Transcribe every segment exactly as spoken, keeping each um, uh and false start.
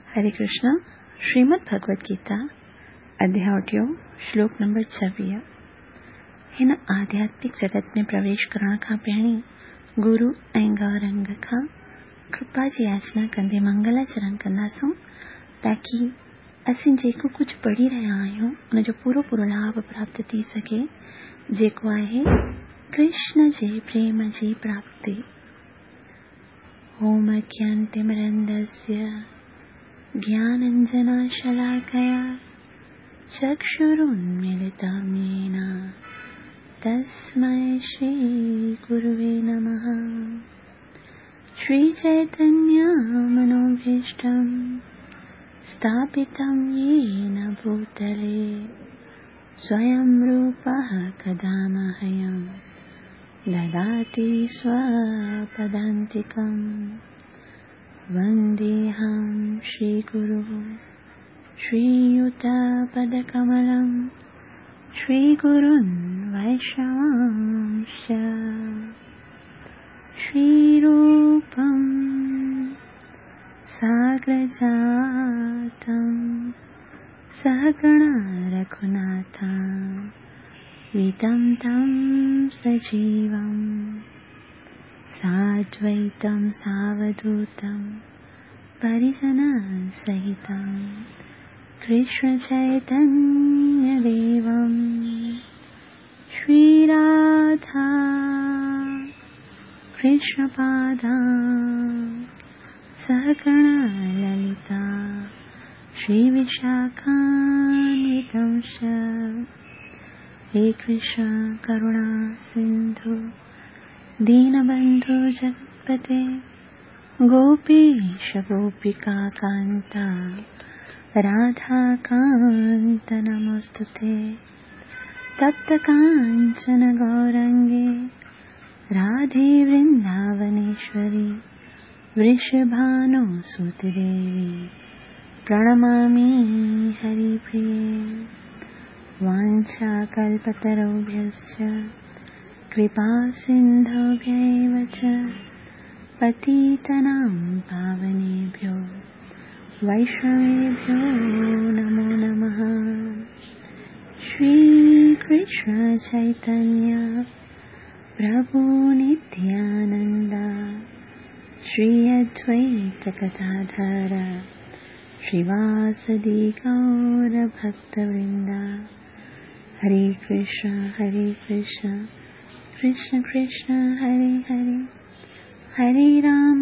हरे कृष्णा। श्रीमद् भगवद गीता अध्याय टियों श्लोक नंबर छवीह। हिन आध्यात्मिक जगत में प्रवेश करण खां पहिरीं गुरु ऐं गौरंग खां कृपा जी याचना कंदे मंगलाचरण कंदासूं ताकी असीं जेको कुझु पढ़ी रहिया आहियूं उनजो पूरो पूरो लाभ प्राप्त थी सघे, जेको आहे कृष्ण जे प्रेम जी प्राप्ति। ओम अज्ञानतिमिरन्धस्य ज्ञानाञ्जनशलाकया चक्षुरुन्मीलितं येन तस्मै श्रीगुरुवे नमः। श्रीचैतन्यमनोभीष्टं स्थापितं येन भूतले स्वयं रूपः कदा मह्यं ददाति स्वपदान्तिकं। वन्देऽहं श्रीगुरुं श्रीयुतपदकमलं श्रीगुरुन् वैष्णवांश्च। श्रीरूपं साग्रजातं सहगणा रघुनाथं वितं तं सजीवं साद्वैतं सावधूतं परिजनसहितं कृष्णचैतन्यदेवं। श्रीराधा कृष्णपादां सहगणा ललिता श्रीविशाखान्वितं च। हे कृष्ण करुणा सिन्धु दीनबन्धु जगत्पते गोपीश गोपिका कान्ता राधाकान्त नमोऽस्तुते। तप्त काञ्चन गौरङ्गे राधे वृन्दावनेश्वरी वृषभानुसुते देवी प्रणमामि हरिप्रिये। वाञ्छाकल्पतरुभ्यश्च कृपा सिन्धुभ्यैव च पतितानां पावनेभ्यो वैष्णवेभ्यो नमो नमः। श्री कृष्ण चैतन्य प्रभु नित्यानंद श्री अद्वैत गदाधर श्रीवासदि गौर भक्तवृंद। हरे कृष्ण हरे कृष्ण कृष्ण कृष्ण हरे हरे, हरे राम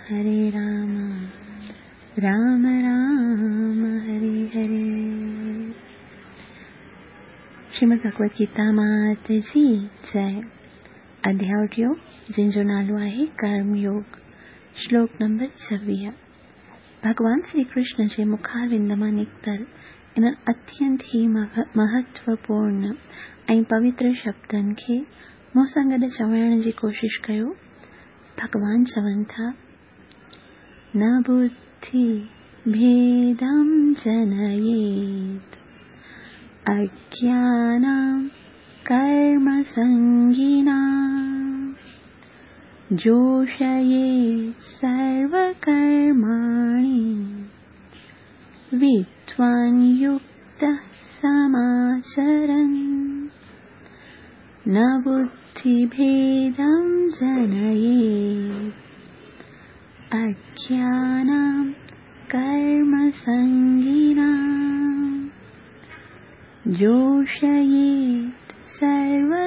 हरे राम राम राम हरे हरे। श्रीमद् भगवद गीता मात जी जय। अध्याय टियों जंहिंजो नालो आहे कर्मयोग, श्लोक नंबर छवीह। भगवान श्री कृष्ण जे मुखारविंद मां निकितल इन्हनि अत्यंत ई महत्वपूर्ण ऐं पवित्र शब्दनि खे मूं सां गॾु चवण जी कोशिश कयो। भगवान चवनि था, न बुद्धि भेदं जनयेत् अज्ञानां कर्मसङ्गिनां जोषयेत् सर्वकर्माणि विद्वान् युक्तः समाचरन्। न बुद्धिभेदं जनयेत् अज्ञानां कर्मसङ्गिनां जोषयेत् सर्वकर्माणि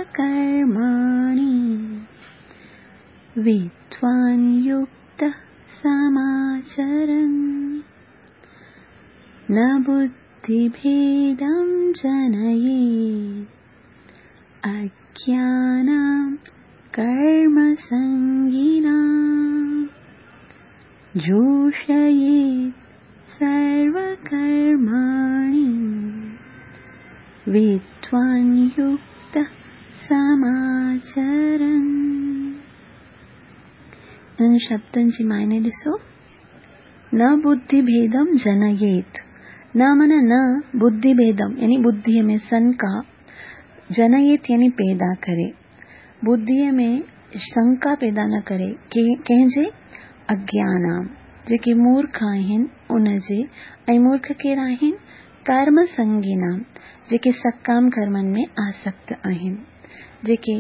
विद्वान् युक्तः समाचरन्। न बुद्धिभेदं जनयेत् अज्ञानां कर्मसङ्गिनां जोषयेत् सर्वकर्माणि विद्वान् युक्तः समाचरन्। इन्हनि शब्दनि जी मायने ॾिसो, न बुद्धिभेदं जनयेत्। न माना न बुद्धिभेदं यानी बुद्धिअ में शंका, जनयेत यानी पैदा करे, बुद्धिअ में शंका पैदा न करे। कंहिंजे? अज्ञानाम, जेके मूर्ख आहिनि ان جي ऐं मूर्ख केरु आहिनि? कर्म संगिनाम, जेके सकाम कर्मनि में आसक्त आहिनि, जेके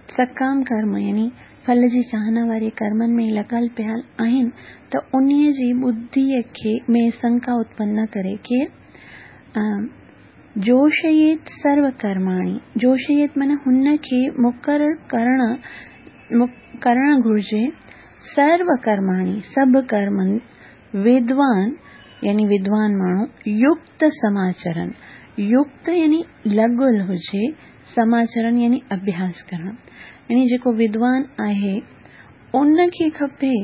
सकाम कर्म यानी फल जी चाहना वारे कर्मनि में लॻल पियल आहिनि, त उन्हीअ जी बुद्धिअ खे में शंका उत्पन्न न करे। केरु? जोशयेत सर्व कर्माणि, जोशयेत माना हुन खे मुक़ररु करणु करणु घुरिजे, सर्व कर्माणि सभु कर्मनि, विद्वान यानी विद्वान माण्हू, युक्त समाचरण, युक्त यानी लॻल हुजे, समाचरण यानी अभ्यास करणु, यानी जेको विद्वान आहे उनखे खपे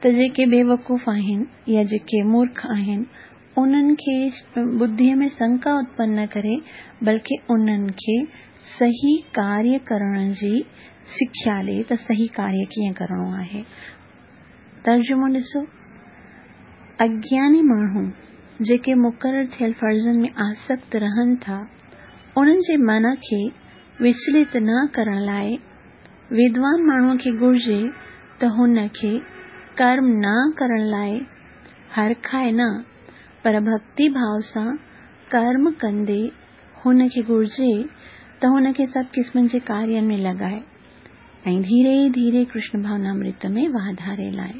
त जेके बेवकूफ़ आहिनि या जेके मूर्ख आहिनि उन्हनि खे बुद्धिअ में शंका उत्पन्न न करे, बल्कि उन्हनि खे सही कार्य करण जी सिख्या ॾे त सही कार्य कीअं करिणो आहे। तर्जुमो ॾिसो, अज्ञानी माण्हू जेके मुक़ररु थियल फ़र्ज़नि में आसक्त रहनि था, उन्हनि जे मन खे विचलित न करण लाइ विद्वान माण्हूअ खे घुरिजे त हुन खे कर्म न करण लाइ हरखाए न, पर भक्ति भाव सां कर्म कंदे हुन खे घुरिजे त हुन खे सभु क़िस्मनि जे कार्यनि में लॻाए ऐं धीरे धीरे कृष्ण भावनामृत में वाधारे लाए।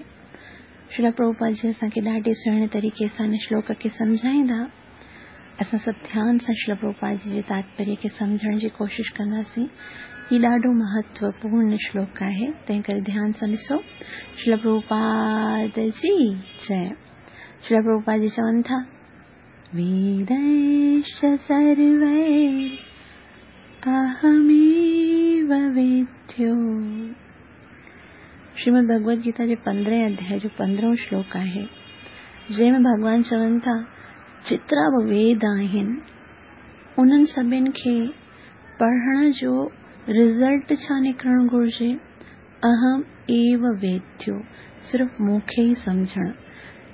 श्रील प्रभुपाद जी असांखे ॾाढे सुहिणे तरीक़े सां हिन श्लोक खे सम्झाईंदा। असां सभु ध्यान सां श्रील प्रभुपाद जी जे तात्पर्य खे सम्झण जी कोशिशि कंदासीं। हीउ ॾाढो महत्वपूर्ण श्लोक आहे, तंहिं करे ध्यान सां ॾिसो। श्रील प्रभुपाद जी जय। श्रील प्रभुपाद जी चवनि था, वेदैश्च सर्वैः अहमेव वेद्यो। श्रीमद् भगवद गीता जे पंद्रहें अध्याय जो पंद्रहों श्लोक आहे, जंहिंमें भॻवान चवनि था जेतिरा बि वेद आहिनि उन्हनि सभिनी खे पढ़ण जो रिज़ल्ट छा निकिरणु घुरिजे? अहम एव वेद्यो, सिर्फ़ु मूंखे ई सम्झणु।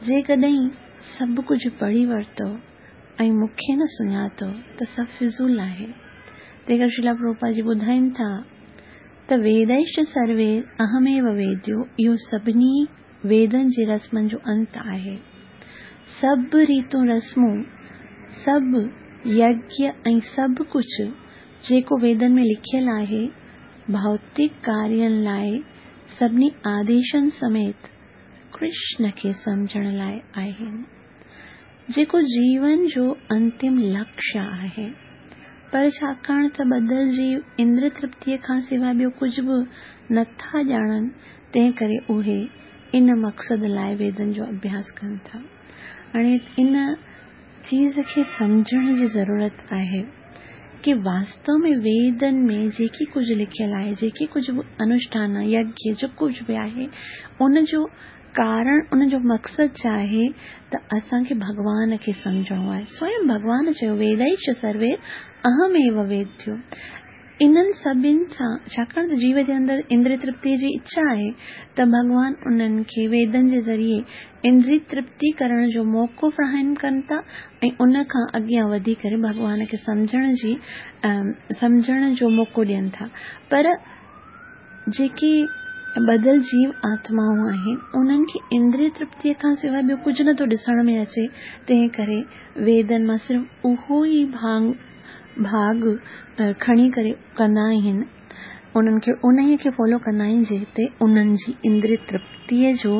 जेकॾहिं सभु कुझु पढ़ी वरितो ऐं मूंखे न सुञातो त सभु फिज़ूल आहे। तंहिं करे श्रील प्रभुपाद जी ॿुधाइनि था त वेदैश्च सर्वे अहमेव वेद्यो, इहो सभिनी वेदनि जे रस्मनि जो अंत आहे। सभु रीतूं रस्मूं, सभु यज्ञ ऐं सभु कुझु जेको वेदनि में लिखियल आहे, भौतिक कार्यनि लाइ सभिनी आदेशनि समेत कृष्ण खे सम्झण लाइ आहिनि, जेको जीवन जो अंतिम लक्ष्य आहे। पर छाकाणि त ॿधल जीव इंद्र तृप्तीअ खां सिवाइ ॿियो कुझु बि नथा ॼाणनि, तंहिं करे उहे इन मक़सद लाइ वेदनि जो अभ्यास कनि था। हाणे इन चीज़ खे सम्झण जी ज़रूरत आहे कि वास्तव में वेदनि में जेकी कुझु लिखियल आहे, जेकी कुझु बि अनुष्ठान, यज्ञ, जेको कुझु बि आहे, उन जो कारण, उन जो मक़सदु छा आहे त असांखे भॻवान खे सम्झणो आहे। स्वयं भॻवान चयो, वेदैश्च सर्वे अहमेव वेद्यो। इन्हनि सभिनी सां, छाकाणि त जीव जे अंदरि इंद्रिय तृप्तीअ जी इच्छा आहे, त भॻवान उन्हनि खे वेदनि जे ज़रिए इंद्रिय तृप्ति करण जो मौक़ो फ़राहम कनि था ऐं उन खां अॻियां वधी करे भॻवान खे सम्झण जी सम्झण जो मौक़ो ॾियनि था। पर जेके ॿधल जीव आत्माऊं आहिनि उन्हनि खे इंद्रिय तृप्तीअ खां सिवाइ ॿियो कुझु नथो ॾिसण में अचे, तंहिं करे वेदनि मां सिर्फ़ु उहो ई भाङ भाॻ खणी करे कंदा आहिनि, उन्हनि खे उन खे फॉलो कंदा आहिनि जिते उन्हनि जी इंद्रिय तृप्तीअ जो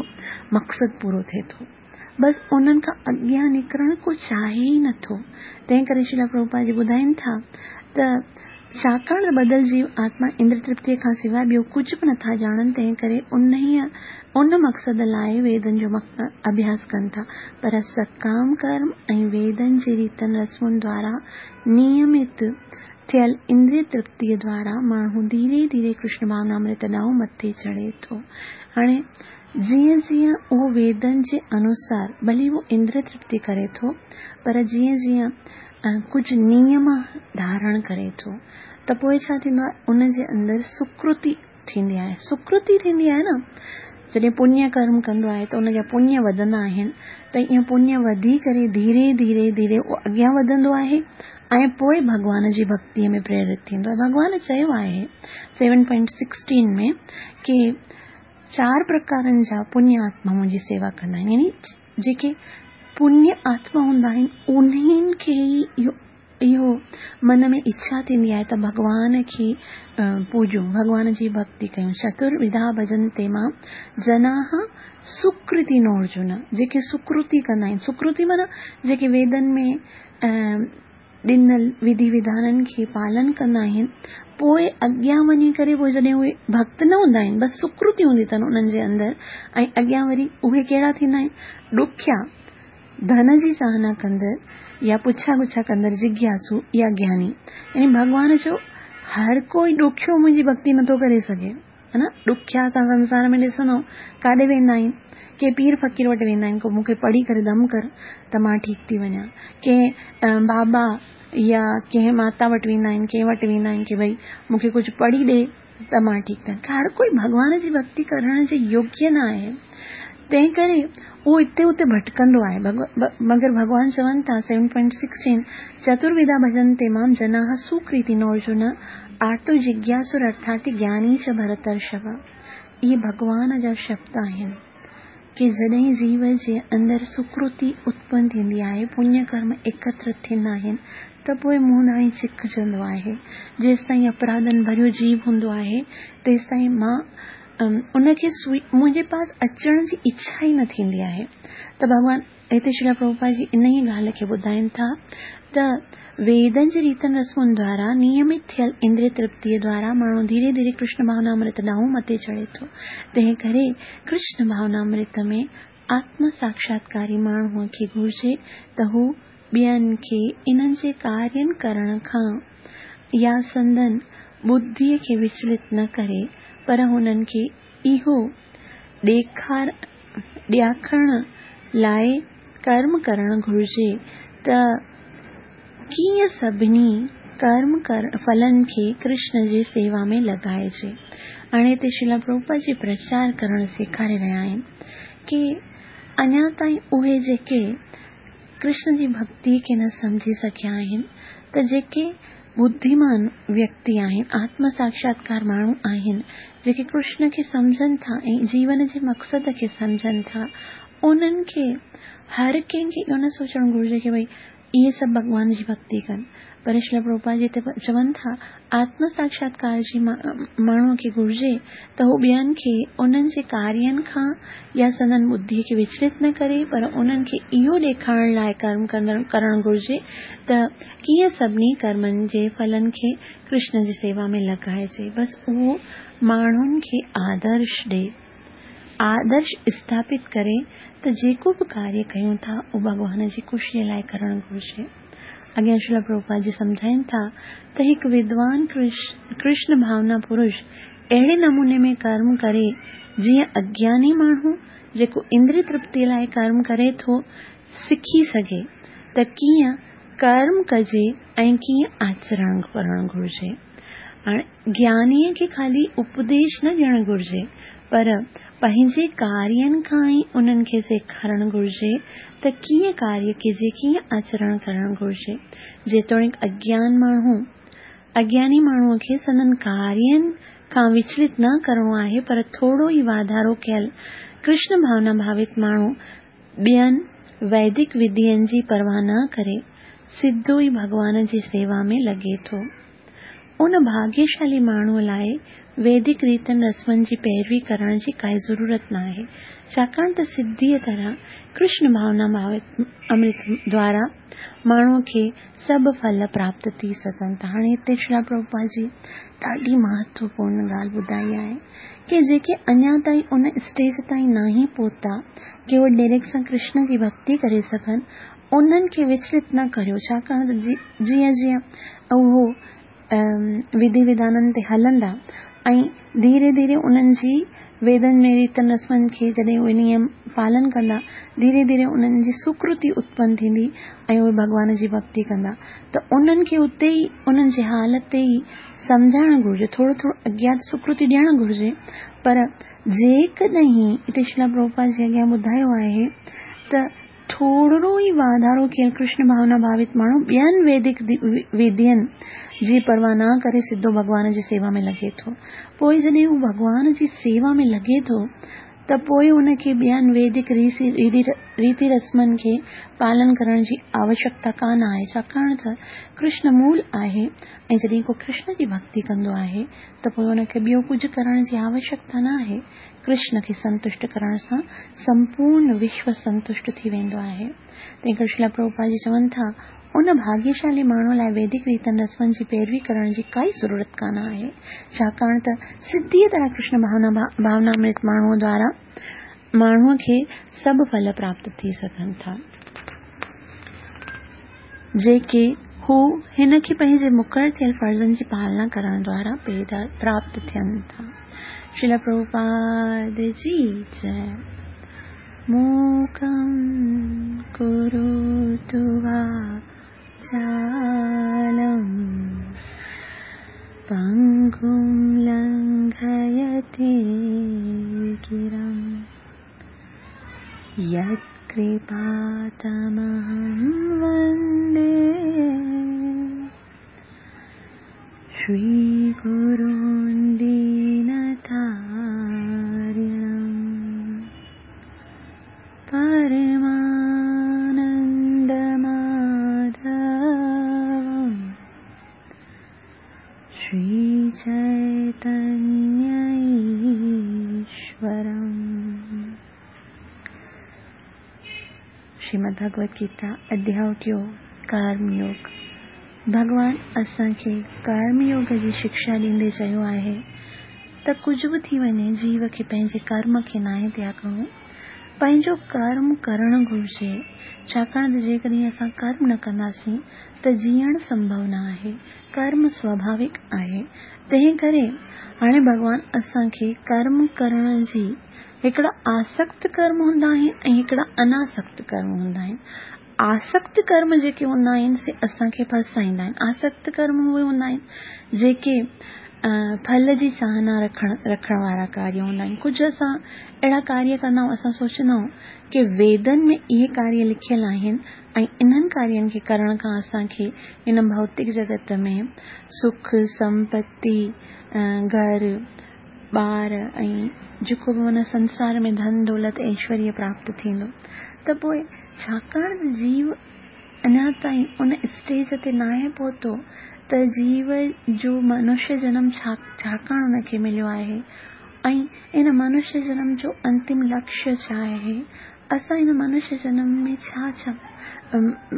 मक़सदु पूरो थिए थो। बसि उन्हनि खां अॻियां निकिरणु को चाहे ई नथो। तंहिं करे श्रील प्रभुपाद जी ॿुधाइनि था त छाकाणि त ॿधल जीव आत्मा इंद्र तृप्तीअ खां सिवाइ ॿियो कुझु बि नथा ॼाणनि, तंहिं करे उन उन मक़सद लाइ वेदनि जो अभ्यास कनि था। पर सकाम कर्म ऐं वेदनि जे रीतनि रस्मुनि द्वारा नियमित थियल इंद्रिय तृप्तीअ द्वारा माण्हू धीरे धीरे कृष्ण भावनामृत ॾांहुं मथे चढ़े थो। हाणे जीअं जीअं उहो वेदनि जे अनुसार भली उहो इंद्रिय तृप्ति करे थो, पर जीअं जीअं कुझु नियम धारण करे थो त पोइ छा थींदो आहे, उनजे अंदरि सुकृति थींदी आहे। सुकृति थींदी आहे न, जॾहिं पुण्य कर्म कंदो आहे त उनजा पुण्य वधंदा आहिनि, त ईअं पुण्य वधी करे धीरे धीरे धीरे उहो अॻियां वधंदो आहे ऐं पोइ भॻवान जी भक्तीअ में प्रेरित थींदो आहे। भॻवान चयो आहे सेवन पॉइंट सिक्सटीन में की चारि प्रकारनि जा पुण्य आत्मा मुंहिंजी सेवा कंदा आहिनि, यानी जेके पुण्य आत्मा हूंदा आहिनि उन्हनि खे ई इहो मन में इच्छा थींदी आहे त भॻवान खे पूजूं, भॻवान जी भक्ति कयूं। चतुर्विधा भजन्ते मां जनाः सुकृतिनो अर्जुन, जेके सुकृति कंदा आहिनि। सुकृति माना जेके वेदनि में ॾिनल विधि विधाननि खे पालन कंदा आहिनि, पोइ अॻियां वञी करे पोइ जॾहिं उहे भक्त न हूंदा आहिनि, बसि सुकृति हूंदी अथनि उन्हनि जे अंदरि। ऐं अॻियां वरी उहे कहिड़ा थींदा आहिनि? ॾुखिया, धन जी चाहना कंदड़ या पुछा गुछा कंदड़, जिज्ञासु या ज्ञानी। यानी भॻवान जो हर कोई ॾुखियो मुंहिंजी भक्ति नथो करे सघे, है न। ॾुखिया असां संसार में ॾिसंदो काॾे वेंदा आहिनि? के पीर फ़क़ीर वटि वेंदा आहिनि, को मूंखे पढ़ी करे दम कर त मां ठीकु थी वञा। कंहिं बाबा या कंहिं माता वटि वेंदा आहिनि, कंहिं वटि वेंदा आहिनि की भई मूंखे कुझु पढ़ी ॾे त मां ठीकु थियां। हर कोई भॻवान जी भक्ति करण जे योग्य न आहे, तंहिं करे उहो हिते हुते भटकंदो आहे। मगर भॻवान चवनि था सेवन पॉइंट सिक्सटीन, चतुर्विधा भजन्ते मां जनाः सुकृतिनो अर्जुन आर्तो जिज्ञासुर अर्थार्थी ज्ञानी च भरतर्षभ। इहे भॻवान जा शब्द आहिनि की जॾहिं जीव जे अंदरि सुकृति उत्पन्न थींदी आहे, पुण्य कर्म एकत्र थींदा आहिनि, त पोइ मूं ॾांहुं चिकजंदो आहे। जेसि ताईं अपराधनि भरियो जीव हूंदो आहे तेसि ताईं मां उनखे मुंहिंजे पास अचण जी इच्छा ई न थींदी आहे। त भॻवान हिते श्रील प्रभुपाद जी इन ई ॻाल्हि खे ॿुधाइनि था त वेदनि जी रीतनि रस्मुनि द्वारा नियमित थियल इंद्रिय तृप्तीअ द्वारा माण्हू धीरे धीरे कृष्ण भावनामृत ॾांहुं मथे चढ़े थो। तंहिं करे कृष्ण भावनामृत में आत्म साक्षात्कारी माण्हूअ खे घुर्जे त हू ॿियनि खे इन्हनि जे कार्यनि करण खां या संदन बुद्धीअ खे विचलित न करे, पर हुननि खे इहो ॾेखार ॾियाखण लाइ कर्म करणु घुर्जे त कीअं सभिनी कर्म कर फलनि खे कृष्ण जी सेवा में लॻाइजे। हाणे हिते श्रील प्रभुपाद जी प्रचार करणु सेखारे रहिया आहिनि की अञा ताईं उहे जेके कृष्ण जी भक्ति खे न सम्झी सघिया आहिनि, त जेके बुद्धिमान व्यक्ति आहिनि, आत्म साक्षात्कार माण्हू आहिनि, जेके कृष्ण खे सम्झनि था ऐं जीवन जे मक़सद खे सम्झनि था, उन्हनि खे हर कंहिंखे इहो न सोचणु घुर्जे की भई इहे सभु भॻवान जी भक्ति कनि। पर श्रील प्रभुपाद जी हिते चवनि था आत्म साक्षात्कार जी माण्हूअ खे घुर्जे त हू ॿियनि खे उन्हनि जे कार्यनि खां या संदन बुद्धीअ खे विचलित न करे, पर उन्हनि खे इहो ॾेखारण लाइ कर्म करणु घुर्जे त कीअं सभिनी कर्मनि जे फलनि खे कृष्ण जी सेवा में लॻाइजे। बसि उहो माण्हुनि खे आदर्श ॾे, आदर्श स्थापित करे त जेको बि कार्य कयूं था उहो भॻवान जी ख़ुशीअ लाइ करणु घुर्जे। अॻियां श्रील प्रभुपाद जी सम्झाइनि था त हिकु विद्वान कृष्ण भावना पुरुष अहिड़े नमूने में कर्म करे जीअं अज्ञानी माण्हू जेको इंद्रिय तृप्ति लाइ कर्म करे थो सिखी सघे त कीअं कर्म कजे ऐं कीअं आचरण करणु घुर्जे। हाणे ज्ञानीअ खे ख़ाली उपदेश न ॾियणु घुर्जे, पर पंहिंजे कार्यनि खां ई उन्हनि खे सेखारणु घुर्जे त कीअं कार्य कजे, कीअं आचरण करणु घुर्जे। जेतोणीकि अज्ञान माण्हू अज्ञानी माण्हूअ खे संदन कार्यनि खां विचलित न करिणो आहे, पर थोरो ई वाधारो कयल कृष्ण भावना भावित माण्हू ॿियनि वैदिक विधियुनि जी परवाह न करे सिधो ई भॻवान जी सेवा में लॻे थो। उन भाग्यशाली माण्हूअ लाइ वैदिक रीतनि रस्मनि जी पैरवी करण जी काई ज़रूरत न आहे, छाकाणि त सिधीअ तरह कृष्ण भावना भावित अमृत द्वारा माण्हूअ खे सभु फल प्राप्त थी सघनि था। हाणे हिते श्रील प्रभुपाद जी ॾाढी महत्वपूर्ण ॻाल्हि ॿुधाई आहे की जेके अञा ताईं उन स्टेज ताईं न पहुता की उहे डायरेक्ट सां कृष्ण जी भक्ति करे सघनि, उन्हनि खे विचलित न करियो, छाकाणि त जीअं जीअं उहो विधि विधाननि ते हलंदा ऐं धीरे धीरे उन्हनि जी वेदनि में रीतनि रस्मनि खे जॾहिं उहे नियम पालन कंदा, धीरे धीरे उन्हनि जी सुकृति उत्पन्न थींदी ऐं उहे भॻवान जी भक्ति कंदा। त उन्हनि खे उते ई उन्हनि जे हाल ते ई सम्झाइणु घुर्जे, थोरो थोरो अॻियां सुकृति ॾियणु घुर्जे। पर जेकॾहिं हिते श्रील प्रभुपाद जी अॻियां ॿुधायो आहे त थोरो ई वाधारो कयल कृष्ण भावना भावित माण्हू ॿियनि वैदिक विधियुनि जी परवाह न करे सिधो भॻवान जी सेवा में लॻे थो। पोइ जॾहिं हू भॻवान जी सेवा में लॻे थो ته पोइ उनखे ॿियनि वैदिक रीति रस्मनि खे पालन करण जी आवश्यकता कान आहे, छाकाणि त कृष्ण मूल आहे ऐं जॾहिं को कृष्ण जी भक्ति कंदो आहे त पोइ उनखे ॿियो कुझु करण जी आवश्यकता न आहे। कृष्ण खे संतुष्ट करण सां संपूर्ण विश्व संतुष्ट थी वेंदो आहे। तंहिं करे श्रील प्रभुपाद जी चवनि था, उन भाग्यशाली माण्हू लाइ वैदिक रीतनि रस्मनि जी पैरवी करण जी काई ज़रूरत कान आहे, छाकाणि त सिधीअ तरह कृष्ण भावना भावनामृत माण्हूअ द्वारा माण्हूअ खे सभु फल प्राप्त थी सघनि था, जेके हू हिन खे पंहिंजे मुक़ररु थियल फ़र्ज़नि जी पालना करण द्वारा पैदा प्राप्त थियनि था। श्रील प्रभुपाद जी जय। मूकं करोतु वाचालं पङ्गुं लङ्घयते गिरिं यत्कृपातमहं वन्दे श्रीगुरुं दीनतारिणं परमानन्दमाधवं श्रीचैतन्यईश्वरम्। श्रीमद् भगवद गीता अध्याय टियों, कर्मयोग। भॻवान असांखे कर्मयोग जी शिक्षा ॾींदे चयो आहे त कुझु बि थी वञे, जीव खे पंहिंजे कर्म खे नाहे त्यागणो, पंहिंजो कर्म करणु घुरिजे, छाकाणि त जेकॾहिं असां कर्म न कंदासीं त जीअणु संभव न आहे। कर्म स्वाभाविक आहे, तंहिं करे हाणे भॻवान असांखे कर्म करण जी हिकिड़ा आसक्त कर्म हूंदा आहिनि ऐं हिकिड़ा अनासक्त कर्म हूंदा आहिनि। आसक्त कर्म जेके हूंदा आहिनि से असांखे फसाईंदा आहिनि। आसक्त कर्म उहे हूंदा आहिनि जेके फल जी चाहना रखण रखण वारा कार्य हूंदा आहिनि। कुझु असां अहिड़ा कार्य कंदा आहियूं, असां सोचंदा आहियूं की वेदनि में इहे कार्य लिखियल आहिनि ऐं इन्हनि कार्यनि खे करण खां असांखे हिन भौतिक जगत में सुख, संपत्ति, घर ॿार ऐं जेको बि माना संसार में धन दौलत ऐश्वर्य प्राप्त थींदो। त पोइ छाकाणि त जीव अञा ताईं उन स्टेज ते नाहे पहुतो त जीव जो मनुष्य जनम छा छाकाणि उनखे मिलियो आहे ऐं इन मनुष्य जनम जो अंतिम लक्ष्य छा आहे, असां हिन मनुष्य जनम में छा छा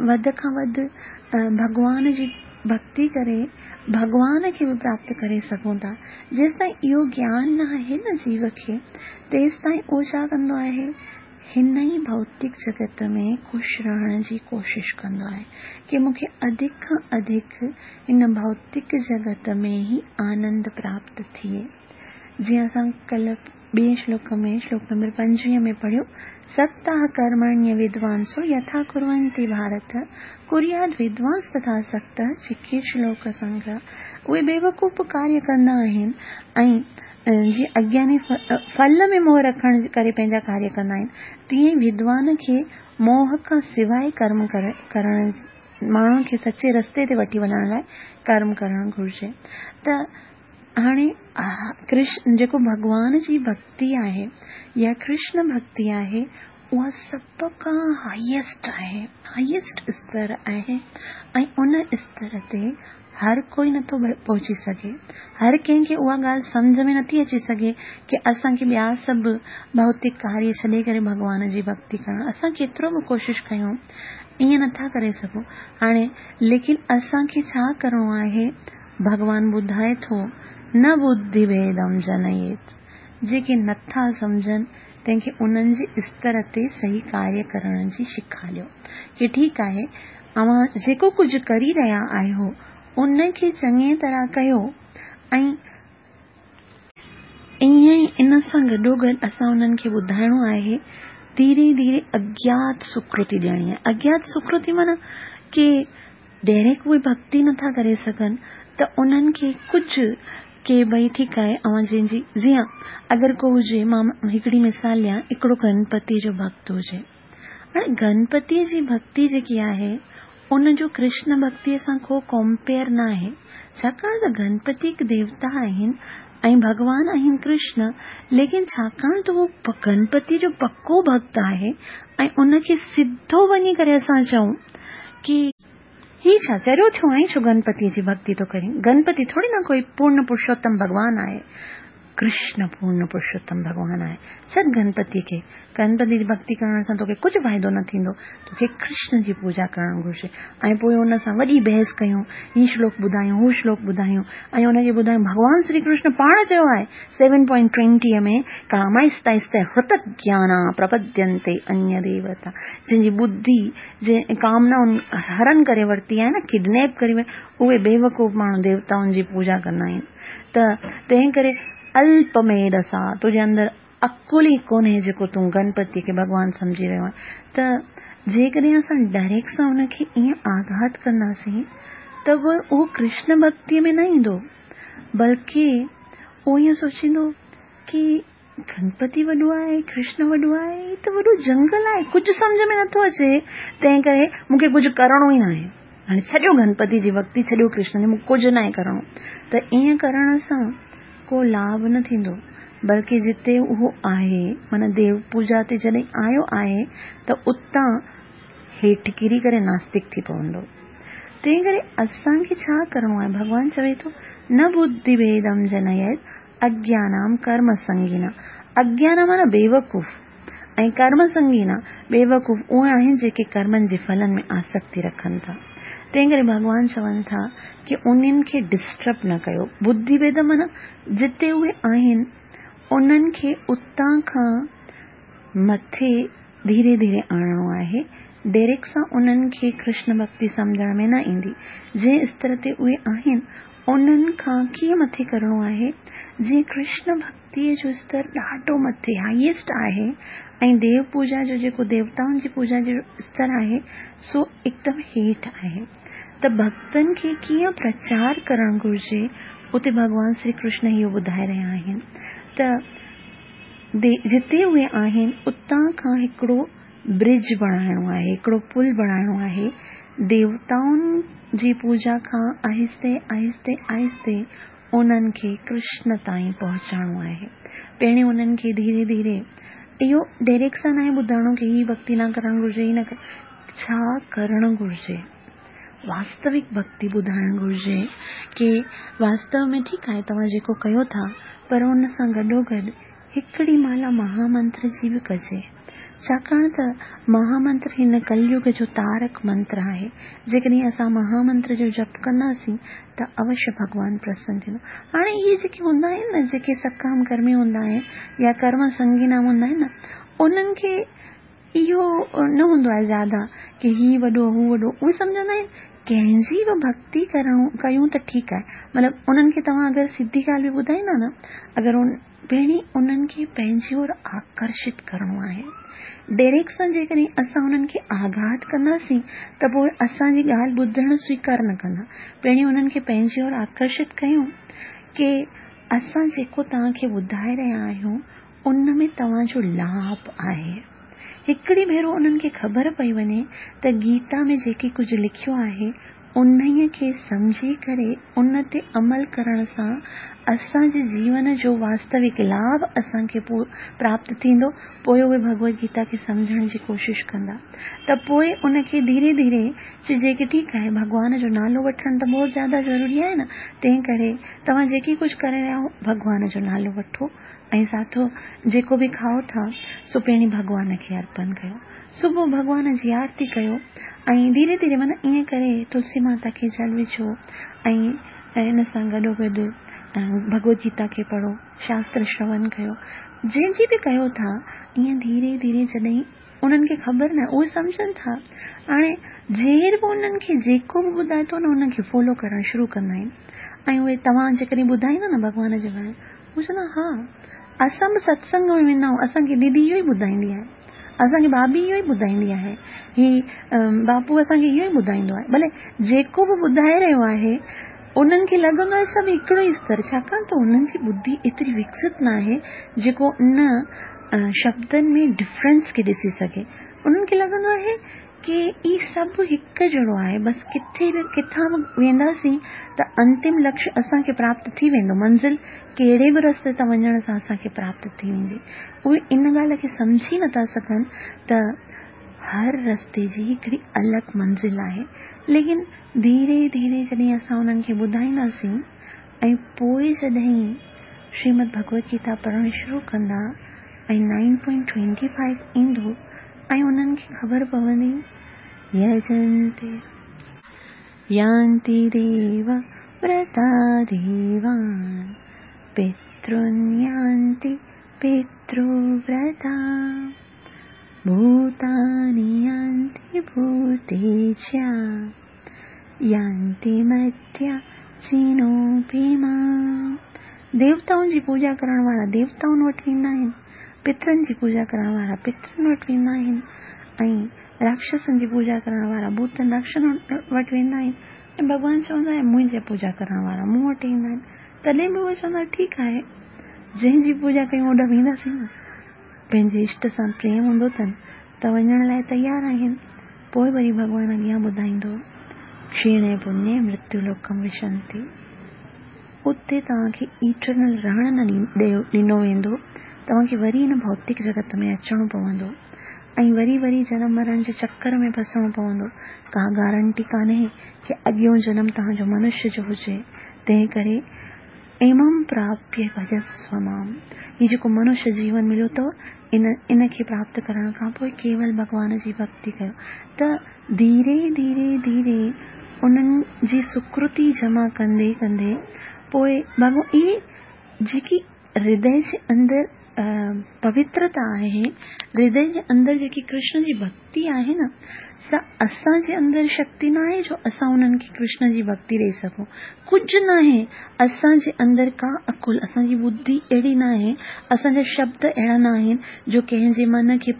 वधि खां वधि भॻवान जी भक्ति करे भॻवान खे बि प्राप्त करे सघूं था। जेसि ताईं इहो ज्ञान न आहे न जीव खे, तेसि ताईं उहो छा कंदो आहे, हिन ई भौतिक जगत में ख़ुशि रहण जी कोशिशि कंदो आहे की मूंखे अधिक खां अधिक हिन भौतिक जगत में ई आनंद प्राप्त थिए। जीअं असां कल्ह ॿिए श्लोक में, श्लोक नंबर पंजवीह में पढ़ियो, सक्ताः कर्मण्य विद्वांसो यथा कुर्वन्ति भारत कुर्याद् विद्वांस तथा सक्तः चिकीर्ष लोक संग्रह। उहे बेवकूफ़ कार्य कंदा आहिनि ऐं जीअं अज्ञानी फल में मोह रखण करे पंहिंजा कार्य कंदा आहिनि, तीअं ई विद्वान खे मोह खां सवाइ कर्म करण, माण्हुनि खे सचे रस्ते ते वठी वञण लाइ कर्म करणु घुरिजे। त हाणे कृष्ण जेको भॻवान जी भक्ति आहे या कृष्ण भक्ति आहे, उहा सभ खां हाईएस्ट आहे, हाईएस्ट स्तर आहे ऐं उन स्तर ते हर कोई नथो पहुची सघे। हर कंहिंखे उहा ॻाल्हि सम्झ में नथी अची सघे की असांखे ॿिया सभु भौतिक कार्य छॾे करे भॻवान जी भक्ति करणु। असां केतिरो बि कोशिशि कयूं, ईअं नथा करे सघूं। हाणे लेकिन असांखे छा करिणो आहे, भॻवान ॿुधाए थो, न बुद्धि भेदम जनयेत, जेके नथा सम्झनि तंहिंखे उन्हनि जे स्तर ते सही कार्य करण जी सेखारियो की ठीकु आहे, अव्हां जेको कुझु करी रहिया आहियो उनखे चङी तरह कयो ऐं ईअं ई इन सां गॾोगॾु असां उन्हनि खे ॿुधाइणो आहे, धीरे धीरे अज्ञात सुकृति ॾियणी आहे। अज्ञात सुकृति माना की डायरेक्ट उहे भक्ति नथा करे सघनि त उन्हनि खे कुझु के भई ठीकु आहे, अव्हां जंहिंजी जीअं अगरि को हुजे, मां हिकिड़ी मिसाल ॾियां, हिकिड़ो गणपति जो भक्त हुजे। हाणे गणपतीअ जी भक्ति जेकी आहे उनजो कृष्ण भक्तीअ सां को कंपेयर न आहे, छाकाणि त गणपति हिकु देवता आहिनि ऐं भॻवान आहिनि कृष्ण, लेकिन छाकाणि त उहो गणपति जो पको भक्त आहे ऐं उनखे सिधो वञी करे असां चऊं की ही छा चरियो थियो आहीं, छो गणपतीअ जी भक्ति थो करीं? गणपति थोरी न कोई पूर्ण पुरुषोत्तम भॻवान आहे, कृष्ण पूर्ण पुरुषोत्तम भॻवान आहे। छॾ गणपति खे, गणपति जी भक्ति करण सां तोखे कुझु फ़ाइदो न थींदो, तोखे कृष्ण जी पूजा करणु घुरिजे। ऐं पोइ उन सां वॾी बहस कयूं, हीउ श्लोक ॿुधायूं, हू श्लोक ॿुधायूं ऐं उनखे ॿुधायूं भॻवान श्री कृष्ण पाण चयो आहे सेवन पॉइंट ट्वेंटीअ में कामाइस्ताइस्ते हृत ज्ञाना प्रपद्यन्ते अन्य देवता, जंहिंजी बुद्धि जंहिं कामनाउनि हरण करे वरिती आहे न, किडनैप करे वई, उहे बेवकूफ़ माण्हू देवताउनि जी पूजा कंदा आहिनि। त तंहिं करे अल्पमेधसा, तुंहिंजे अंदरि अकुल ई कोन्हे जेको तूं गणपति खे भॻवान सम्झी रहियो आहीं। त जेकॾहिं असां डायरेक्ट सां उनखे ईअं आघात कंदासीं त उहो कृष्ण भक्तीअ में न ईंदो, बल्कि उहो ईअं सोचींदो की गणपति वॾो आहे, कृष्ण वॾो आहे, हीउ त वॾो जंगल आहे, कुझु सम्झ में नथो अचे, तंहिं करे मूंखे कुझु करिणो ई न आहे, हाणे छॾियो गणपति जी भक्ति, छॾियो कृष्ण जी, मूंखे कुझु न आहे करिणो। त ईअं करण सां को लाभ न थींदो, बल्कि जिते उहो आहे माना देव पूजा ते जॾहिं आयो आहे त उतां हेठि किरी करे नास्तिक थी पवंदो। तंहिं करे असांखे छा करिणो आहे? भॻवान चवे थो न बुद्धिभेदं जनयेत् अज्ञानां कर्म संगिना। अज्ञान माना बेवकूफ़ ऐं कर्म संगिना बेवकूफ़ उहे आहिनि जेके कर्मनि जे फलनि में आसक्ति रखनि था। तंहिं करे भॻवान चवनि था की उन्हनि खे डिस्टर्ब न कयो। बुद्धिभेद माना जिते उहे आहिनि उन्हनि खे उतां खां मथे धीरे धीरे आणिणो आहे, डायरेक्ट सां उन्हनि खे कृष्ण भक्ति सम्झण में न ईंदी। जंहिं स्तर ते उहे आहिनि उन्हनि खां कीअं मथे करिणो आहे, जीअं कृष्ण भक्तीअ जो स्तर ॾाढो मथे हाईएस्ट आहे ऐं देव पूजा जो जेको देवताउनि जी पूजा जो स्तर आहे सो एकदमि हेठि आहे। त भक्तनि खे कीअं प्रचार करणु घुरिजे उते भॻवान श्री कृष्ण इहो ॿुधाए रहिया आहिनि। त जिते उहे आहिनि उतां खां हिकिड़ो ब्रिज बणाइणो आहे, हिकिड़ो पुल बणाइणो आहे, देवताउनि जी पूजा खां आहिस्ते आहिस्ते आहिस्ते उन्हनि खे कृष्ण ताईं पहुचाइणो आहे। पहिरीं उन्हनि खे धीरे धीरे इहो डायरेक्ट सां न आहे ॿुधाइणो की हीअ भक्ति न करणु घुरिजे, हीअ न, छा करणु घुरिजे, वास्तविक भक्ति ॿुधाइणु घुरिजे की वास्तव में ठीकु आहे तव्हां जेको कयो था, पर उन सां गॾोगॾु हिकिड़ी माला महामंत्र जी बि कजे, छाकाणि त महामंत्र हिन कलयुग जो तारक मंत्र आहे। जेकॾहिं असां महामंत्र जो जप कंदासीं त अवश्य भॻवान प्रसन्न थींदो। हाणे इहे जेके हूंदा आहिनि न, जेके सकाम कर्मी हूंदा आहिनि या कर्म संगीना हूंदा आहिनि न, उन्हनि खे इहो न हूंदो आहे ज़्यादा की हीउ वॾो हू वॾो, उहे सम्झंदा आहिनि कंहिंजी बि भक्ति करणो कयूं त ठीकु आहे। मतिलबु उन्हनि खे तव्हां अगरि सिधी ॻाल्हि बि ॿुधाईंदा न, अगरि उन पहिरीं उन्हनि खे पंहिंजी ओर आकर्षित करिणो आहे। डायरेक्ट सां जेकॾहिं असां उन्हनि खे आघात कंदासीं त पोइ असांजी ॻाल्हि ॿुधणु स्वीकार न कंदा। पहिरीं उन्हनि खे पंहिंजी ओर आकर्षित कयूं की असां जेको तव्हांखे ॿुधाए रहिया आहियूं उन में तव्हांजो लाभ आहे। हिकिड़ी भेरो उन्हनि खे ख़बर पई वञे त गीता में जेके कुझु लिखियो आहे उन्हीअ खे सम्झी करे उन ते अमल करण सां असांजे जीवन जो वास्तविक लाभ असांखे प्राप्त थींदो। पोइ उहे भगवत गीता खे सम्झण जी कोशिशि कंदा त पोइ उनखे धीरे धीरे चइजे की ठीकु आहे भॻवान जो नालो वठणु त बहुत ज़्यादा ज़रूरी आहे न, तंहिं करे तव्हां जेकी कुझु करे रहिया आहियो भॻवान जो नालो वठो ऐं साथो जेको बि खाओ था सो पहिरीं भॻवान खे अर्पण कयो, सुबुह भॻवान जी आरती कयो ऐं धीरे धीरे माना ईअं करे तुलसी माता खे जल विझो ऐं हिन सां गॾोगॾु भगवत गीता खे पढ़ो, शास्त्र श्रवण कयो, जंहिंजी बि कयो था ईअं धीरे धीरे जॾहिं उन्हनि खे ख़बर न उहे सम्झनि था। हाणे जेर बि उन्हनि खे जेको बि ॿुधाए थो न उनखे फॉलो करणु शुरू कंदा आहिनि ऐं उहे तव्हां जेकॾहिं ॿुधाईंदा न भॻवान जे बारे में, उहे चवंदा हा असां बि सत्संग में वेंदा आहियूं, असांखे दीदी इहो ई ॿुधाईंदी आहे, असांखे भाभी इहो ई ॿुधाईंदी आहे, ही बापू असांखे इहो ई ॿुधाईंदो आहे। भले जेको बि ॿुधाए रहियो आहे उन्हनि खे लॻंदो आहे सभु हिकिड़ो ई स्तर, छाकाणि त उन्हनि जी बुद्धि एतिरी विकसित न आहे जेको उन शब्दनि में डिफरेंस खे ॾिसी सघे। उन्हनि खे लॻंदो आहे की इहे सभु हिकु जहिड़ो आहे, बसि किथे बि किथां बि वेंदासीं त अंतिम लक्ष्य असांखे प्राप्त थी वेंदो, मंज़िल कहिड़े बि रस्ते तां वञण सां असांखे प्राप्त थी वेंदी। उहे इन ॻाल्हि खे सम्झी नथा सघनि त हर रस्ते जी हिकिड़ी अलॻि मंज़िल आहे। लेकिन धीरे धीरे जॾहिं असां उन्हनि खे ॿुधाईंदासीं ऐं पोइ जॾहिं श्रीमद् भगवत गीता पढ़णु शुरू कंदा ऐं नाइन पॉइंट ट्वेंटी फाइव ईंदो ऐं उन्हनि खे ख़बर पवंदी यजन्ते यान्ति देव व्रता देवान् पितॄन् यान्ति पितृव्रता भूतानि यान्ति भूतेज्या यान्ति मध्याचिनोऽपि माम्। देवताउनि जी पूॼा करण वारा देवताउनि वटि वेंदा आहिनि, पितरनि जी पूॼा करण वारा पितरनि वटि वेंदा आहिनि ऐं राक्षसनि जी पूॼा करण वारा भूतनि राक्षसनि वटि वेंदा आहिनि ऐं भॻवानु चवंदो आहे मुंहिंजी पूॼा करण वारा मूं वटि ईंदा आहिनि। तॾहिं बि उहे चवंदा ठीकु आहे, जंहिंजी पूॼा कयूं ओॾा वेंदासीं न, पंहिंजे इष्ट सां प्रेम हूंदो अथनि त वञण लाइ तयारु आहिनि। पोइ वरी भॻवानु अॻियां ॿुधाईंदो क्षीणे पुण्ये मृत्युलोकम विशन्ति, उते तव्हांखे इटर्नल रहण न ॾिनो वेंदो, तव्हांखे वरी हिन भौतिक जगत में अचिणो पवंदो ऐं वरी वरी जनम मरण जे चक्कर में फसणो पवंदो। का गारंटी कान्हे की अॻियों जनम तव्हांजो मनुष्य जो हुजे। तंहिं करे इमं प्राप्य भजस्व माम, हीउ जेको मनुष्य जीवन मिलियो अथव इन इन खे प्राप्त करण खां पोइ केवल भॻवान जी भक्ति कयो। त धीरे धीरे धीरे उन्हनि जी सुकृति जमा कंदे कंदे पोइ भॻवान इहे जेकी हृदय जे अंदरि पवित्रता आहे, हृदय जे अंदरि जेकी कृष्ण जी भक्ति आहे न, सा असांजे अंदरि शक्ति न आहे जो असां उन्हनि खे कृष्ण जी भक्ति ॾेई सघूं। कुझु न आहे असांजे अंदरि, का अकुल, असांजी बुद्धि अहिड़ी न आहे, असांजा शब्द अहिड़ा न आहिनि जो कंहिंजे मन खे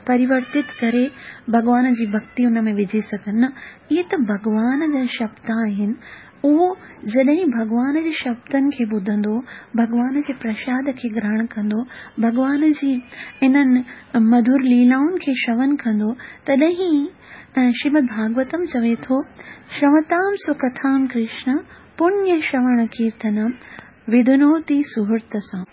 परिवर्तित करे भॻवान जी भक्ति उन में विझी सघनि। न, इहे त भॻवान जा शब्द आहिनि। उहो जॾहिं भॻवान जे शब्दनि खे ॿुधंदो, भॻवान जे प्रसाद खे ग्रहण कंदो, भॻवान जी इन्हनि मधुर लीलाउनि खे श्रवण कंदो, तॾहिं श्रीमद् भागवतम चवे थो श्रवतां सुकथां कृष्ण पुण्य श्रवण कीर्तनम विधुनोति सुहृत सां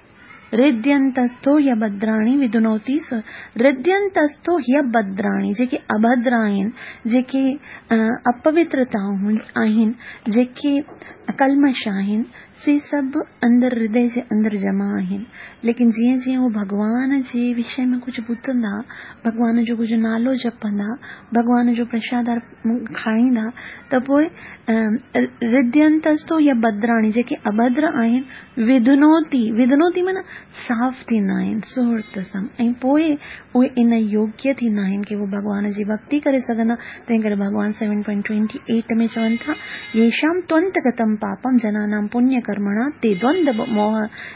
हृदयंतस्थो ह्यभद्राणि विधुनोति हृदयंतस्थो ह्यभद्राणि, जेके अभद्र आहिनि, जेके अपवित्रताऊं आहिनि, जेके कलमश आहिनि, से सभु अंदरि हृदय जे अंदरि जमा आहिनि। लेकिन जीअं जीअं उहो भॻवान जे विषय में कुझु ॿुधंदा, भॻवान जो कुझु नालो जपंदा, भॻवान जो प्रसाद खाईंदा, त पोइ हृदयंतस्थो ह्यभद्राणि जेके अभद्र आहिनि, विधुनोति, विधुनोति माना साफ़ थींदा आहिनि सुहृत सां, ऐं पोइ उहे इन योग्य थींदा आहिनि की उहे भॻवान जी भक्ति करे सघंदा। तंहिं करे भॻवान सेवन पॉइंट ट्वेंटी एट में चवनि था येषां त्वन्तगतं पापं जनानां पुण्यकर्मणा ते द्वंद्व मोह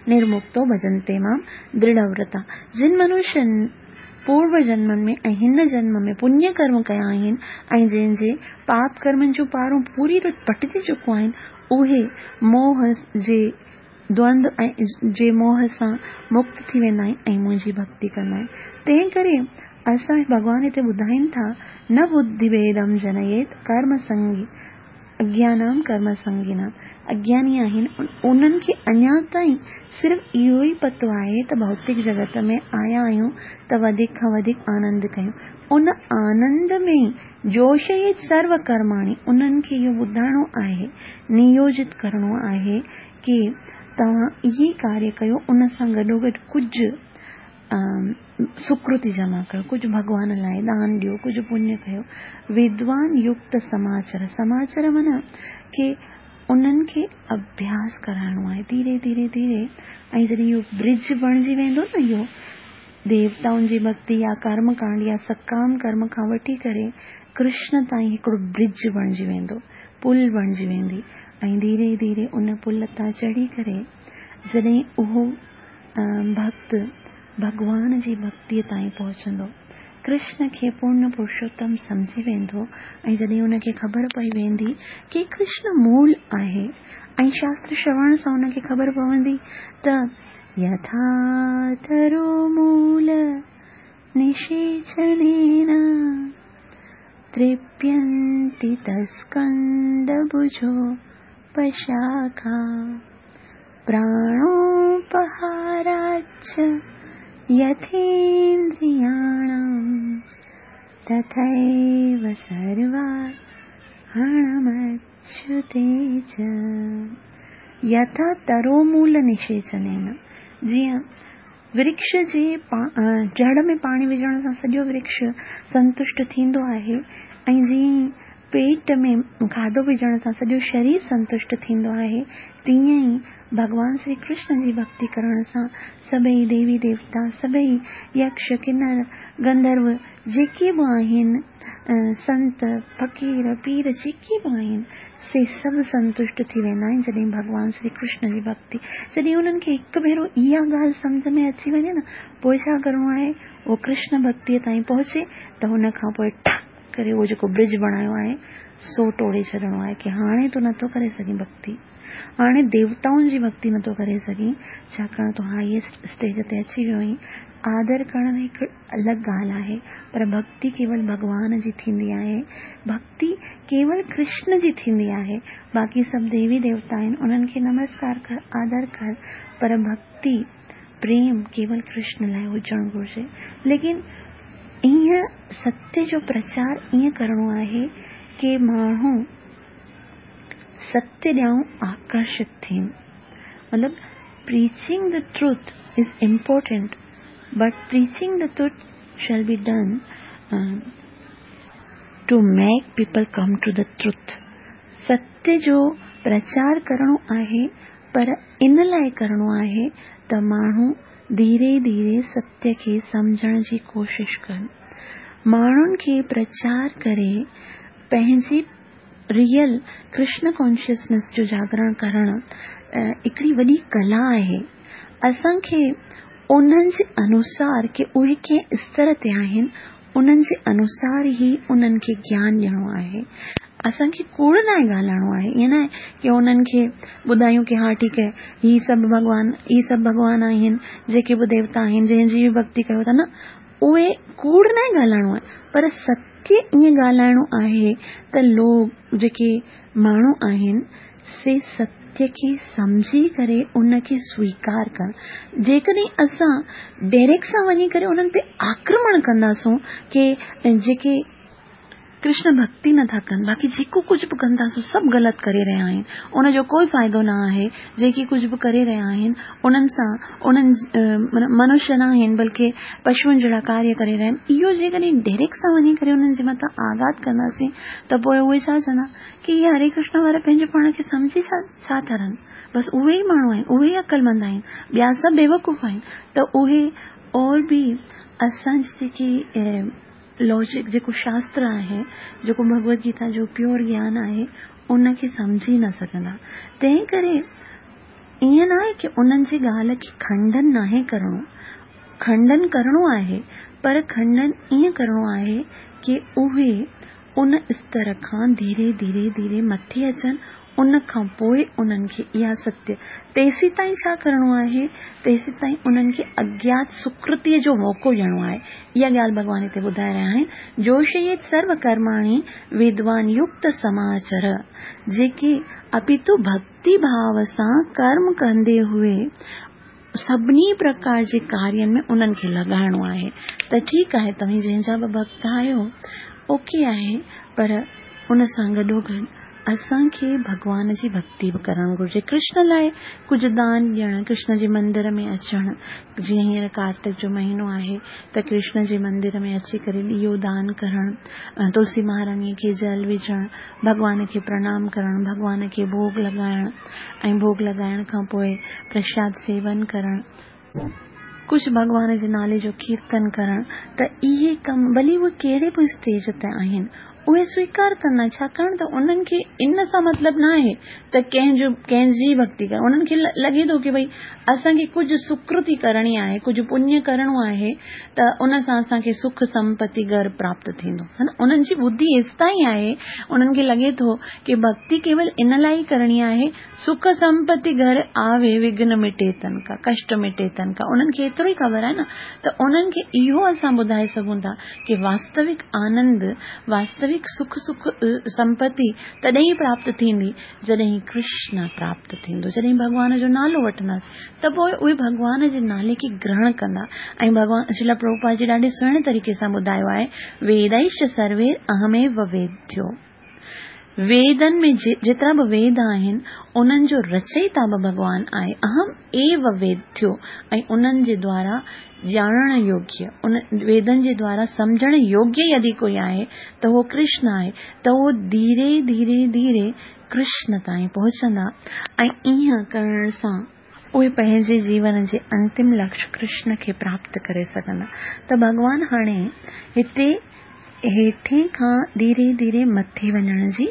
निर्मुक्तो भजन्ते मां दृढ़व्रता। जिन मनुष्यनि पूर्व जन्मनि में ऐं हिन जन्म में पुण्य कर्म कया आहिनि ऐं जंहिंजे पाप कर्मनि जूं पारूं पूरी रीति पटिजी चुकियूं आहिनि, उहे मोह जे द्वंद ऐं जे मोह सां मुक्त थी वेंदा आहिनि ऐं मुंहिंजी भक्ति कंदा आहिनि। तंहिं करे असां भॻवान हिते ॿुधाइनि था न बुद्धिभेदं जनयेत कर्म संगी अज्ञानाम कर्म संगिनाम। अज्ञानी आहिनि उन्हनि खे अञा ताईं सिर्फ़ु इहो ई पतो आहे त भौतिक जगत में आया आहियूं त वधीक खां वधीक आनंद कयूं। उन आनंद में जोशयेत सर्व कर्माणि, उन्हनि खे इहो ॿुधाइणो आहे, नियोजित करिणो आहे की तव्हां इहे कार्य कयो, उन सां गॾोगॾु कुझु सुकृति जमा कयो, कुझु भॻवान लाइ दान ॾियो, कुझु पुण्य कयो। विद्वान युक्त समाचार, समाचार माना की उन्हनि खे अभ्यास कराइणो आहे धीरे धीरे धीरे। ऐं जॾहिं इहो ब्रिज बणिजी वेंदो न, इहो देवताउनि जी भक्ति या कर्मकांड या सकाम कर्म खां वठी करे कृष्ण ताईं हिकिड़ो ब्रिज बणिजी वेंदो, पुल बणिजी वेंदी ऐं धीरे धीरे उन पुल तां चढ़ी करे जॾहिं उहो भक्त भॻवान जी भक्तीअ ताईं पहुचंदो, कृष्ण खे पूर्ण पुरुषोत्तम सम्झी वेंदो ऐं जॾहिं उनखे ख़बर पई वेंदी की कृष्ण मूल आहे ऐं शास्त्र श्रवण सां उनखे ख़बर पवंदी त यथा तरो मूल निषेचनेन तृप्यन्ति तत्स्कन्धभुजोपशाखा प्राणोपहाराच्च यथेन्द्रियाणां तथैव सर्वार्पणमच्युते च। यथा तरोमूल निषेचनेन, जीअं वृक्ष जे जड़ में पाणी विझण सां सॼो वृक्ष संतुष्ट थींदो आहे ऐं जीअं पेट में खाधो विझण सां सॼो शरीर संतुष्ट थींदो आहे, तीअं ई भॻवान श्री कृष्ण जी भक्ति करण सां सभई देवी देवता, सभई यक्ष किन्नर गंधर्व जेके बि आहिनि, संत फ़क़ीर पीर जेके बि आहिनि, से सभु संतुष्ट थी वेंदा आहिनि जॾहिं भॻवान श्री कृष्ण जी भक्ति। जॾहिं उन्हनि खे हिकु भेरो इहा ॻाल्हि सम्झ में अची वञे न, पोइ छा करिणो आहे, उहो कृष्ण भक्तीअ ताईं पहुचे त हुन खां पोइ ठक करे उहो जेको ब्रिज बणायो आहे सो टोड़े छॾिणो आहे की हाणे तूं नथो करे सघीं भक्ति, हाणे देवताउनि जी भक्ति नथो करे सघीं, छाकाणि तूं हाईएस्ट स्टेज ते अची वियो आहीं। आदर करणु हिकु अलॻि ॻाल्हि आहे, पर भक्ति केवल भॻवान जी थींदी आहे, भक्ति केवल कृष्ण जी थींदी आहे। बाक़ी सभु देवी देवता आहिनि, उन्हनि खे नमस्कार कर, आदर कर, पर भक्ति प्रेम केवल कृष्ण लाइ हुजणु घुरिजे। लेकिन ईअं सत्य जो प्रचार ईअं करिणो आहे की माण्हू सत्य ॾांहुं आकर्षित थियनि। मतिलबु preaching the truth is important, but preaching the truth shall be done to make people come to the truth. सत्य जो प्रचार करिणो आहे, पर इन लाइ करिणो आहे त माण्हू धीरे धीरे सत्य खे सम्झण जी कोशिशि कनि। माण्हुनि खे प्रचार करे पंहिंजी रियल कृष्ण कॉन्शियसनेस जो जागरण करणु हिकिड़ी वॾी कला आहे। असांखे उन्हनि जे अनुसार की उहे कंहिं स्तर ते आहिनि, उन्हनि जे अनुसार ई उन्हनि खे ज्ञान ॾियणो आहे। असांखे कूड़ न ॻाल्हाइणो आहे, ईअं न आहे की उन्हनि खे ॿुधायूं की हा ठीकु आहे, ही सभु भॻवान, ही सभु भॻवान आहिनि, जेके बि देवता आहिनि, जंहिंजी बि भक्ति कयो था, न, उहे कूड़ न ॻाल्हाइणो आहे, पर सत्य ईअं ॻाल्हाइणो आहे त लोग जेके माण्हू आहिनि से सत्य खे सम्झी करे उनखे स्वीकार कनि। जेकॾहिं असां डायरेक्ट सां वञी करे उन्हनि ते आक्रमण कंदासूं की जेके कृष्ण भक्ति नथा कनि, बाक़ी जेको कुझु बि कनि था सो सभु ग़लति करे रहिया आहिनि, उनजो कोई फ़ाइदो न आहे, जेके कुझु बि करे रहिया आहिनि उन्हनि सां उन्हनि मनुष्य न आहिनि बल्कि पशुअनि जहिड़ा कार्य करे रहिया आहिनि। इहो जेकॾहिं डायरेक्ट सां वञी करे उन्हनि जे मथां आघात कंदासीं त पोइ उहे छा चवंदा की इहे हरे कृष्ण वारा पंहिंजो पाण खे सम्झी छा छा था रहनि, बसि उहे ई माण्हू आहिनि, उहे ई अक़लमंद आहिनि, ॿिया सभु बेवकूफ़ आहिनि। त उहे और बि असांजी जेकी लॉजिक, जेको शास्त्र आहे, जेको भगवद गीता जो प्योर ज्ञान आहे, उनखे सम्झी न सघंदा। तंहिं करे ईअं न आहे की उन्हनि जी ॻाल्हि खे खंडन नाहे करिणो, खंडन करिणो आहे, पर खंडन ईअं करिणो आहे की उहे उन स्तर खां धीरे धीरे धीरे मथे अचनि, उन खां पोइ उन्हनि खे इहा सत्य, तेसी ताईं छा करिणो आहे, तेसी ताईं उन्हनि खे अज्ञात सुकृतीअ जो मौक़ो ॾियणो आहे। इहा ॻाल्हि भॻवान हिते ॿुधाए रहिया आहिनि। जोशयेत सर्व कर्माणि विद्वान युक्त समाचर, जेके अपितु भक्ति भाव सां कर्म कंदे हुए सभिनी प्रकार जे कार्यनि में उन्हनि खे लॻाइणो आहे। त ठीकु आहे, तव्हीं जंहिंजा बि भक्त आहियो ओके आहे, पर उन सां गॾोगॾु असांखे भॻवान जी भक्ति बि करणु घुरिजे। कृष्ण लाइ कुझु दान ॾियणु, कृष्ण जे मंदिर में अचणु, जीअं हींअर कार्तिक जो महीनो आहे त कृष्ण जे मंदिर में अची करे ॾियो दान करणु, तुलसी महाराणीअ खे जल विझणु, भॻवान खे प्रणाम करणु, भॻवान खे भोग लॻाइणु ऐं भोग लॻाइण खां पोइ प्रसाद सेवन करणु, कुझु भॻवान जे नाले जो कीर्तन करणु। त इहे कम भली उहे कहिड़े बि स्टेज ते आहिनि उहे स्वीकार कंदा, छाकाणि त उन्हनि खे इन सां मतिलबु न आहे त कंहिंजो कंहिंजी भक्ति कर। उन्हनि खे लॻे थो की भई असांखे कुझु सुकृति करणी आहे, कुझु पुण्य करिणो आहे त उन सां असांखे सुख संपत्ति घर प्राप्त थींदो, है न। उन्हनि जी बुद्धि हेसि ताईं आहे, उन्हनि खे लॻे थो की भक्ति केवल इन लाइ ई करणी आहे, सुख संपत्ति घर आवे विघ्न मिटे तन का, कष्ट मिटे तन का। उन्हनि खे एतिरो ई ख़बर आहे न। त उन्हनि खे इहो असां ॿुधाए सघूं था की वास्तविक आनंद, वास्तविक वास्तविक सुख सुख संपत्ति तॾहिं ई प्राप्त थींदी जॾहिं कृष्ण प्राप्त थींदो, जॾहिं भॻवान जो नालो वठंदा त पोइ उहे भॻवान जे नाले खे ग्रहण कंदा। ऐं भॻवान श्रील प्रभुपाद जी ॾाढे सुहिणे तरीक़े सां ॿुधायो आहे, वेदैश्च सर्वे अहमेव वेद्यो। वेदनि में जेतिरा बि वेद आहिनि उन्हनि जो रचयिता बि भॻवान आहे, अहम एव वेद्यो। ऐं उन्हनि जे द्वारा ॼाणण योग्य, उन वेदनि जे द्वारा सम्झण योग्य यदि कोई आहे त उहो कृष्ण आहे। त उहो धीरे धीरे धीरे कृष्ण ताईं पहुचंदा ऐं ईअं करण सां उहे पंहिंजे जीवन जे अंतिम लक्ष्य कृष्ण खे प्राप्त करे सघंदा। त भॻवान हाणे हिते हेठे खां धीरे धीरे मथे वञण जी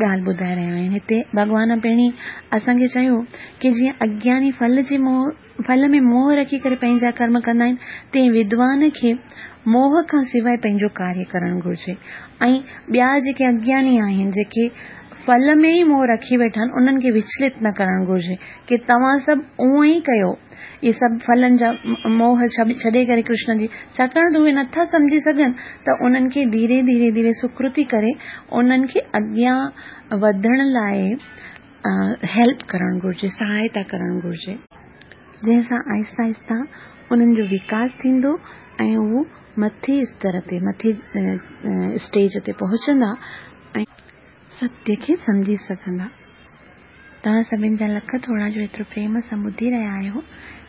ॻाल्हि ॿुधाए रहिया आहिनि। हिते भॻवान पहिरीं असांखे चयो की जीअं अज्ञानी फल जे मोह फल में मोह रखी करे पंहिंजा कर्म कंदा आहिनि, तीअं विद्वान खे मोह खां सवाइ पंहिंजो कार्य करणु घुरिजे। ऐं ॿिया जेके अज्ञानी आहिनि, जेके फल में ई मोह रखी वेठा आहिनि, उन्हनि खे विचलित न करणु घुरिजे की तव्हां सभु उअं ई कयो, इहे सभु फलनि जा मोह छॾे करे कृष्ण जी, छाकाणि त उहे नथा सम्झी सघनि त उन्हनि खे धीरे धीरे धीरे सुकृति करे उन्हनि खे अॻियां वधण लाइ हेल्प करणु घुरिजे, सहायता करणु घुरिजे, जंहिंसां आहिस्ता आहिस्ता उन्हनि जो विकास थींदो ऐं उहो मथे स्तर ते, मथे स्टेज ते पहुचंदा ऐं सत्य खे सम्झी सघंदा। तव्हां सभिनी जा लख थोरा जो एतिरो प्रेम सां ॿुधी रहिया आहियो।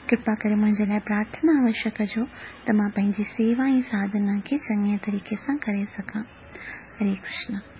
कृपा करे मुंहिंजे लाइ प्रार्थना अवश्य कजो त मां पंहिंजी सेवा ऐं साधना खे चङे तरीक़े सां करे सघां। हरे कृष्ण।